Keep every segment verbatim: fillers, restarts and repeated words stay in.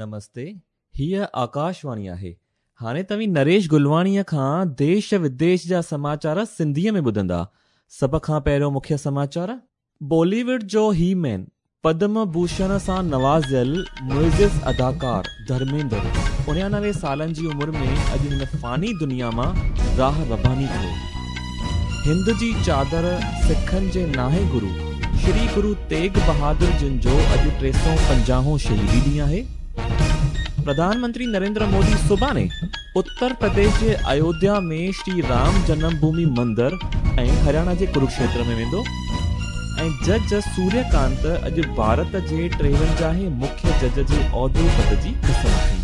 نمستي، हीअ आकाशवाणी आहे। हाणे तव्हीं नरेश गुलवाणीअ खां देश विदेश जा समाचार सिंधीअ में ॿुधंदा। सभ खां पहिरियों मुख्य समाचार। बॉलीवुड जो ही मैन पद्म भूषण सां नवाज़ियल मुइज़िज़ अदाकार धर्मेंद्र उणियानवे सालनि जी उमिरि में अॼु हिन फ़ानी दुनिया मां राह रबानी थियो। हिंद जी चादर सिखनि जे नाहे गुरू श्री गुरू तेग बहादुर जिन जो अॼु टे सौ पंजाहों शहीदी ॾींहुं आहे। प्रधानमंत्री नरेंद्र मोदी सुभाणे उत्तर प्रदेश जे अयोध्या में श्री राम जन्मभूमि मंदिर ऐं हरियाणा जे कुरुक्षेत्र में वेंदो। ऐं जज सूर्यकांत अॼु भारत जे टेवंजाहें मुख्य जज जे ओहदे पद जी कसम खई।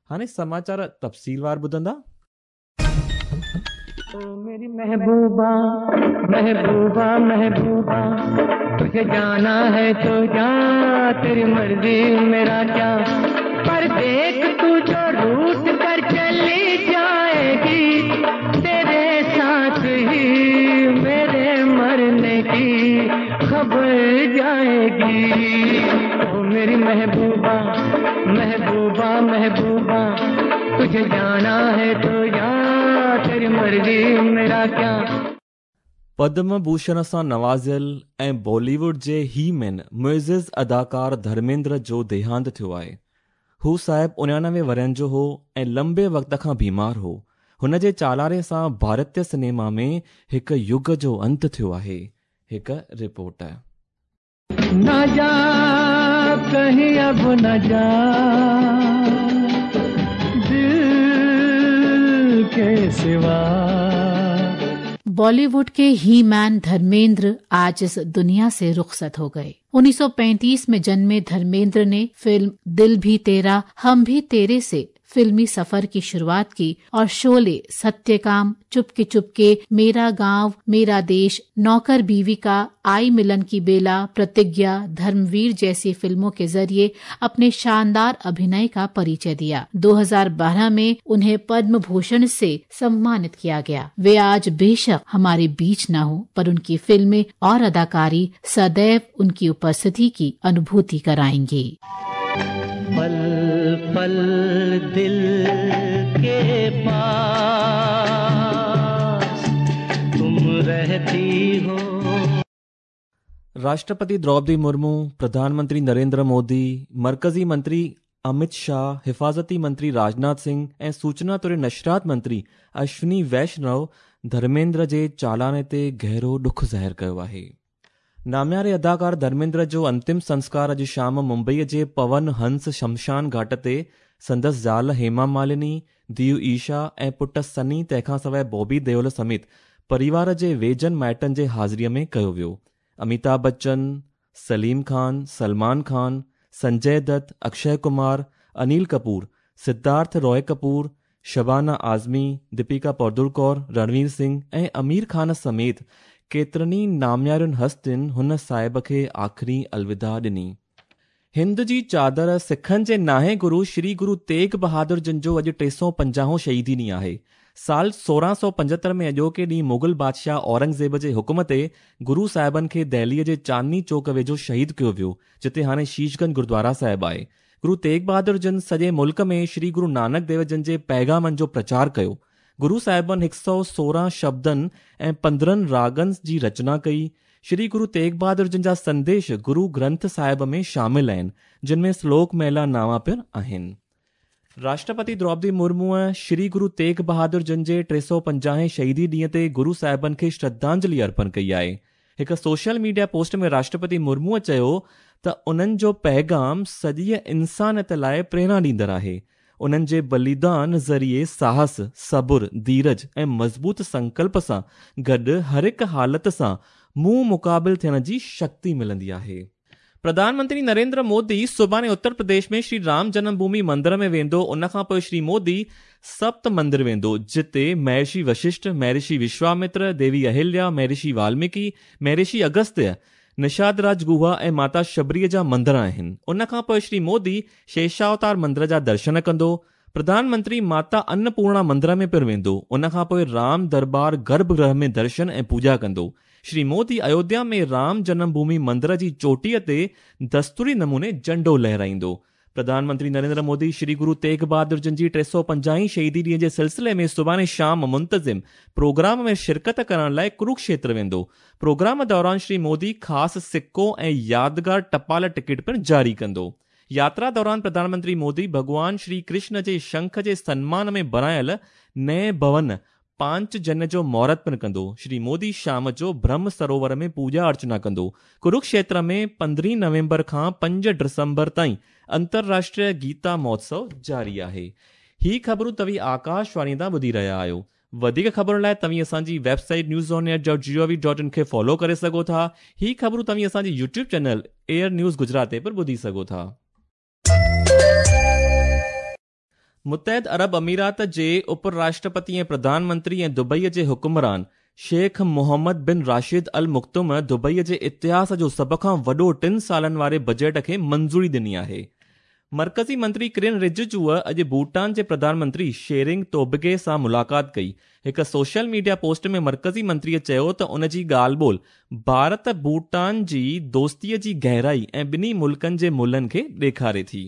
हाणे समाचार तफ़सीलवार ॿुधंदा। ओ मेरी महबूबा महबूबा महबूबा, तुझे जाना है तो जा, तेरी मर्जी मेरा क्या, पर देख तू जो रूठ कर चली जाएगी, तेरे साथ ही मेरे मरने की खबर जाएगी। ओ मेरी महबूबा महबूबा महबूबा, तुझे जाना है तो जा, तेरी मर्जी मेरा क्या। पद्म भूषण सां नवाज़ियल ऐं बॉलीवुड जे ही मैन मुइज़िज़ अदाकार धर्मेंद्र जो देहांत थियो आहे। हू साहिब उणियानवे वरनि जो हो ऐं लंबे वक़्त खां बीमार हो। हुन जे चालारे सां भारतीय सिनेमा में हिकु युग जो अंत थियो आहे। हिकु रिपोर्ट। न जा कहीं अब न जा, दिल के सिवा। बॉलीवुड के ही मैन धर्मेंद्र आज इस दुनिया से रुखसत हो गए। उन्नीस सौ पैंतीस में जन्मे धर्मेंद्र ने फिल्म दिल भी तेरा हम भी तेरे से फिल्मी सफर की शुरुआत की और शोले, सत्यकाम, चुपके चुपके, मेरा गांव मेरा देश, नौकर बीवी का, आई मिलन की बेला, प्रतिज्ञा, धर्मवीर जैसी फिल्मों के जरिए अपने शानदार अभिनय का परिचय दिया। दो हज़ार बारह में उन्हें पद्म भूषण से सम्मानित किया गया। वे आज बेशक हमारे बीच न हो, पर उनकी फिल्में और अदाकारी सदैव उनकी उपस्थिति की अनुभूति कराएंगी। पल पल दिल के पास तुम रहती हो। राष्ट्रपति द्रौपदी मुर्मू, प्रधानमंत्री नरेंद्र मोदी, मरकज़ी मंत्री अमित शाह, हिफाज़ती मंत्री राजनाथ सिंह ऐं सूचना तोड़े नशरात मंत्री अश्विनी वैष्णव धर्मेंद्र जे चालाने ते गहरो ॾुख ज़ाहिर कयो आहे। नामियारे अदाकार धर्मेंद्र जो अंतिम संस्कार अॼु शाम मुंबईअ जे पवन हंस शमशान घाट ते संदसि ज़ाल हेमा मालिनी, धीउ ईशा ऐं पुट सनी तंहिंखां सवाइ बॉबी देओल समेत परिवार जे वेझनि माइटनि जे हाज़िरीअ में कयो वियो। अमिताभ बच्चन, सलीम खान, सलमान खान, संजय दत्त, अक्षय कुमार, अनिल कपूर, सिद्धार्थ रॉय कपूर, शबाना आज़मी, दीपिका पादुकोण, रणवीर सिंह ऐं आमिर खान समेत केतिरनि नामियारुनि हस्तियुनि हुन साहिब खे आख़िरी अलविदा ॾिनी। हिंद जी चादर सिखनि जे नाहे गुरू श्री गुरू तेग बहादुर जिन जो अॼु टे सौ पंजाहों शहीदी ॾींहुं आहे। साल सोरहं सौ पंजहतरि में अॼोके ॾींहुं मुग़ल बादशाह औरंगज़ेब जे हुक्म ते गुरू साहिबनि खे दिल्लीअ जे चांदनी चौक वेझो शहीद कयो वियो, जिते हाणे शीशगंज गुरुद्वारा साहिब आहे। गुरू तेग बहादुर जिन सॼे मुल्क में श्री गुरू नानक देव जिन जे पैगामनि जो प्रचार कयो। गुरू साहिबनि हिकु सौ सोरहं शब्दनि ऐं पंद्रहं रागनि जी रचना कई। श्री गुरू तेग बहादुर जिन जा संदेश गुरू ग्रंथ साहिब में शामिल आहिनि, जिन में श्लोक महिला नावा पिणु आहिनि। राष्ट्रपति द्रौपदी मुर्मूअ श्री गुरू तेग बहादुर जिन जे टे सौ पंजाहें शहीदी ॾींहं ते गुरू साहिबनि खे श्रद्धांजलि अर्पण कई आहे। हिकु सोशल मीडिया पोस्ट में राष्ट्रपति मुर्मूअ चयो त उन्हनि जो पैगाम सॼीअ इंसानियत लाइ प्रेरणा ॾींदड़ आहे। उन्हनि जे बलिदान ज़रिए साहस, सबुर, धीरज ऐं मज़बूत संकल्प सां गॾु हर हिकु हालत सां मुंहुं मुक़ाबिल थियण जी शक्ति मिलंदी आहे। प्रधानमंत्री नरेंद्र मोदी सुभाणे उत्तर प्रदेश में श्री राम जन्मभूमि मंदिर में वेंदो। उन खां पोइ श्री मोदी सप्त मंदिर वेंदो, जिते महर्षि वशिष्ठ, महर्षि विश्वामित्र, देवी अहिल्या, महर्षि वाल्मीकि, महर्षि अगस्त्य, निषाद राज गुहा ऐं माता शबरीअ जा मंदिर आहिनि। उन खां पोइ श्री मोदी शेषावतार मंदिर जा दर्शन कंदो। प्रधानमंत्री माता अन्नपूर्णा मंदिर में पिणु वेंदो। उन खां पोइ राम दरबार गर्भगृह में दर्शन ऐं पूॼा कंदो। श्री मोदी अयोध्या में राम जन्मभूमि मंदिर जी चोटीअ ते दस्तूरी नमूने झंडो लहराईंदो। प्रधानमंत्री नरेंद्र मोदी श्री गुरु तेग बहादुर जन जी टे सौ पंजाहीं शहीदी ॾींहं जे सिलसिले में सुभाणे शाम मुंतज़िम प्रोग्राम में शिरकत करण लाइ कुरुक्षेत्र वेंदो। प्रोग्राम दौरान श्री मोदी ख़ासि सिक्को ऐं यादगार टपाल टिकट पिणु जारी कंदो। यात्रा दौरान प्रधानमंत्री मोदी भॻवान श्री कृष्ण जे शंख जे सन्मान में बणायल नए भवन पांच जन जो मुहूर्त पिणु कंदो। श्री मोदी शाम जो ब्रह्म सरोवर में पूजा अर्चना कंदो। कुरुक्षेत्र में पंद्रहीं नवंबर खां पंज डिसंबर ताईं अंतर्राष्ट्रीय गीता महोत्सव जारी आहे। ही ख़बरूं तव्हीं आकाशवाणी तां ॿुधी रहिया आहियो। वधीक ख़बरुनि लाइ तव्हीं असांजी website news on air dot G O V dot in खे फॉलो करे सघो था। ही ख़बरूं तव्हीं असांजी YouTube channel air news Gujarat ते पिणु ॿुधी सघो था। मुत्तहिद अरब अमीरात जे उपराष्ट्रपति ऐं प्रधानमंत्री ऐं दुबईअ जे हुक्मरान शेख मोहम्मद बिन राशिद अल मक्तूम दुबईअ जे इतिहास जो सभ खां वॾो टिनि सालनि वारे बजट खे मंज़ूरी ॾिनी आहे। मर्कज़ी मंत्री किरण रिजिजूअ अॼु भूटान जे प्रधानमंत्री शेरिंग तोबगे सां मुलाक़ात कई। हिकु सोशल मीडिया पोस्ट में मर्कज़ी मंत्रीअ चयो त उन जी ॻाल्हि ॿोल भारत भूटान जी दोस्तीअ जी गहराई ऐं ॿिन्ही मुल्कनि जे मुल्हनि खे ॾेखारे थी।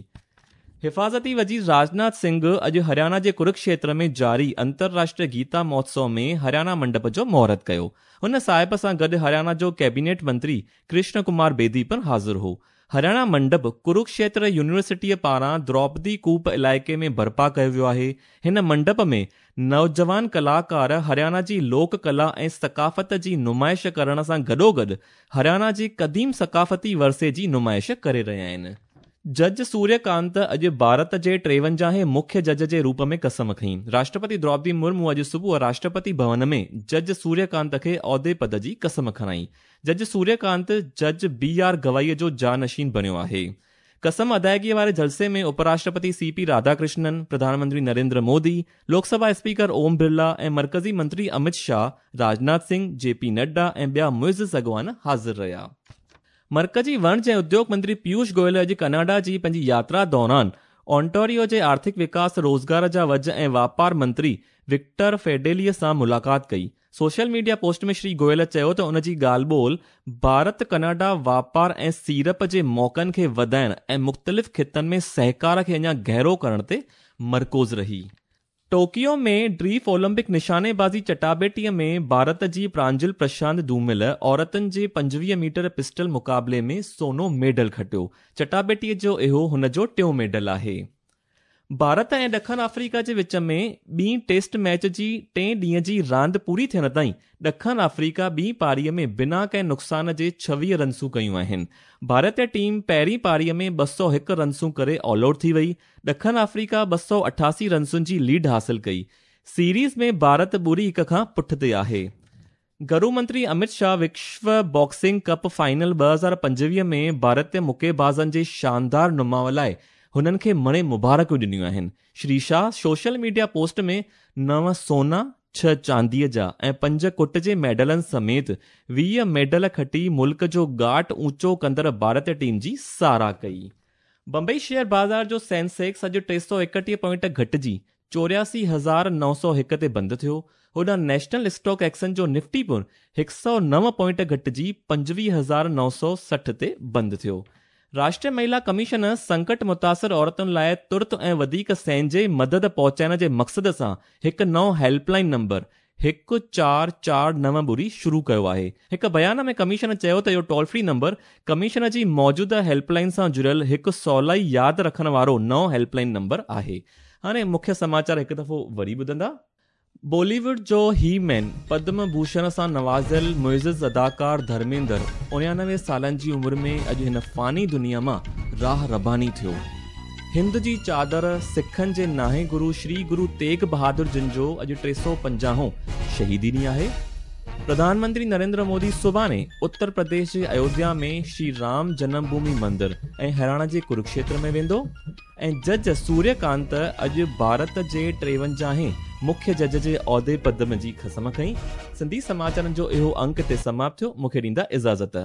हिफाज़ती वज़ीर राजनाथ सिंह अॼु हरियाणा जे कुरुक्षेत्र में जारी अंतर्राष्ट्रीय गीता महोत्सव में हरियाणा मंडप जो मुहूर्त कयो। हुन साहिब सां गॾु हरियाणा जो कैबिनेट मंत्री कृष्ण कुमार बेदी पिणु हाज़िर हो। हरियाणा मंडप कुरुक्षेत्र यूनिवर्सिटीअ पारां द्रौपदी कूप इलाइक़े में बर्पा कयो वियो आहे। हिन मंडप में नौजवान कलाकार हरियाणा जी लोक कला ऐं सकाफ़त जी नुमाइश करण सां गॾोगॾु हरियाणा जी क़दीम सकाफ़ती वरसे जी नुमाइश करे रहिया आहिनि। जज सूर्यकांत अॼु भारत जे टेवंजाहें मुख्य जज जे रूप में कसम खई। राष्ट्रपति द्रौपदी मुर्मू अॼु सुबुह राष्ट्रपति भवन में जज सूर्यकांत खे औहदे पद जी कसम खणाई। जज सूर्यकांत जज बी are गवाईअ जो जानशीन बणियो आहे। कसम अदायगीअ वारे जलसे में उपराष्ट्रपति सी पी राधाकृष्णन, प्रधानमंत्री नरेंद्र मोदी, लोकसभा स्पीकर ओम बिरला ऐं मर्कज़ी मंत्री अमित शाह, राजनाथ सिंह, जे पी नड्डा ऐं ॿिया मुइज़ अॻवान हाज़िर रहिया। मर्कज़ी वणज ऐं उद्योग मंत्री पीयूष गोयल अॼु कनाडा जी पंहिंजी यात्रा दौरान ओंटारियो जे आर्थिक विकास, रोज़गार जा वज ऐं वापार मंत्री विक्टर फेडेलीअ सां मुलाक़ात कई। सोशल मीडिया पोस्ट में श्री गोयल चयो त उन जी ॻाल्हि ॿोल भारत कनाडा वापार ऐं सीरप जे मौक़नि खे वधाइण ऐं मुख़्तलिफ़ ख़ितनि में सहकार खे अञा गहरो करण ते मरकूज़ रही। टोकियो में ड्रीफ ओलंपिक निशानेबाज़ी चटाबेटीअ में भारत जी प्रांजल प्रशांत धूमिल औरतुनि जे पंजवीह मीटर पिस्टल मुक़ाबले में सोनो मेडल खटियो। चटाबेटीअ जो इहो हुन जो टियों मेडल आहे। भारत ऐं ॾखण अफ्रीका जे विच में ॿी टेस्ट मैच जी टे ॾींहं जी रांदि पूरी थियण ताईं ॾखण अफ्रीका ॿी पारीअ में बिना कंहिं नुक़सान जे छवीह रनसूं कयूं आहिनि। भारतीय टीम पहिरीं पारीअ में ॿ सौ हिकु रनसूं करे ऑल आउट थी वई। ॾखण अफ्रीका ॿ सौ अठासी रनसुनि जी लीड हासिल कई। सीरीज़ में भारत ॿुड़ी हिकु खां पुठिते आहे। गृह मंत्री अमित शाह विश्व बॉक्सिंग कप फाइनल ॿ हज़ार पंजवीह में भारतीय मुकेबाज़नि जे शानदार नुमाव लाइ हुननि खे मणे मुबारकूं ॾिनियूं आहिनि। Shri Shah social media post में नव सोना, छह चांदीअ जा ऐं पंज कुट जे मेडलनि समेत वीह मेडल खटी मुल्क जो ॻाट ऊंचो कंदड़ भारतीय टीम जी सराह कई। बम्बई शेयर बाज़ार जो सेंसेक्स अॼु टे सौ एकटीह पॉइंट घटिजी चोरियासी हज़ार नौ सौ हिकु ते बंदि थियो। होॾां नेशनल स्टॉक एक्सचेंज जो निफ्टी पिणु हिकु सौ नव पॉइंट घटिजी पंजवीह हज़ार नौ सौ सठि ते बंदि थियो। राष्ट्रीय महिला कमीशन संकट मुतासिर औरतुनि लाइ तुर्त ऐं वधीक सहंजे मदद पहुचाइण जे मक़सद सां हिकु नओं हेल्पलाइन नंबर हिकु चारि चारि नव ॿुड़ी शुरू कयो आहे। हिकु बयान में कमीशन चयो त इहो टोल फ्री नंबर कमीशन जी मौजूदा हेल्पलाइन सां जुड़ियल हिकु सवलाई यादि रखण वारो नओं हेल्पलाइन नंबर आहे। हाणे मुख्य समाचार हिकु दफ़ो वरी ॿुधंदा। बॉलीवुड जो ही मैन पद्म भूषण सां नवाज़ियल मुइज़ अदाकार धर्मेंद्र उणानवे सालनि जी उमिरि में अॼु हिन फ़ानी दुनिया मां राह रबानी थियो। हिंद जी चादर सिखनि जे नाहे गुरु श्री गुरु तेग बहादुर जिन जो अॼु टे सौ पंजाहों शहीदी ॾींहुं आहे। प्रधानमंत्री नरेंद्र मोदी सुभाणे उत्तर प्रदेश जे अयोध्या में श्री राम जन्मभूमि मंदिर ऐं हरियाणा जे कुरुक्षेत्र में वेंदो। ऐं जज सूर्यकांत अॼु भारत जे टेवंजाहें मुख्य जज जे औहदे पद जी क़सम खई। सिंधी समाचारनि जो इहो अंक ते समाप्त थियो। मूंखे ॾींदा इजाज़त।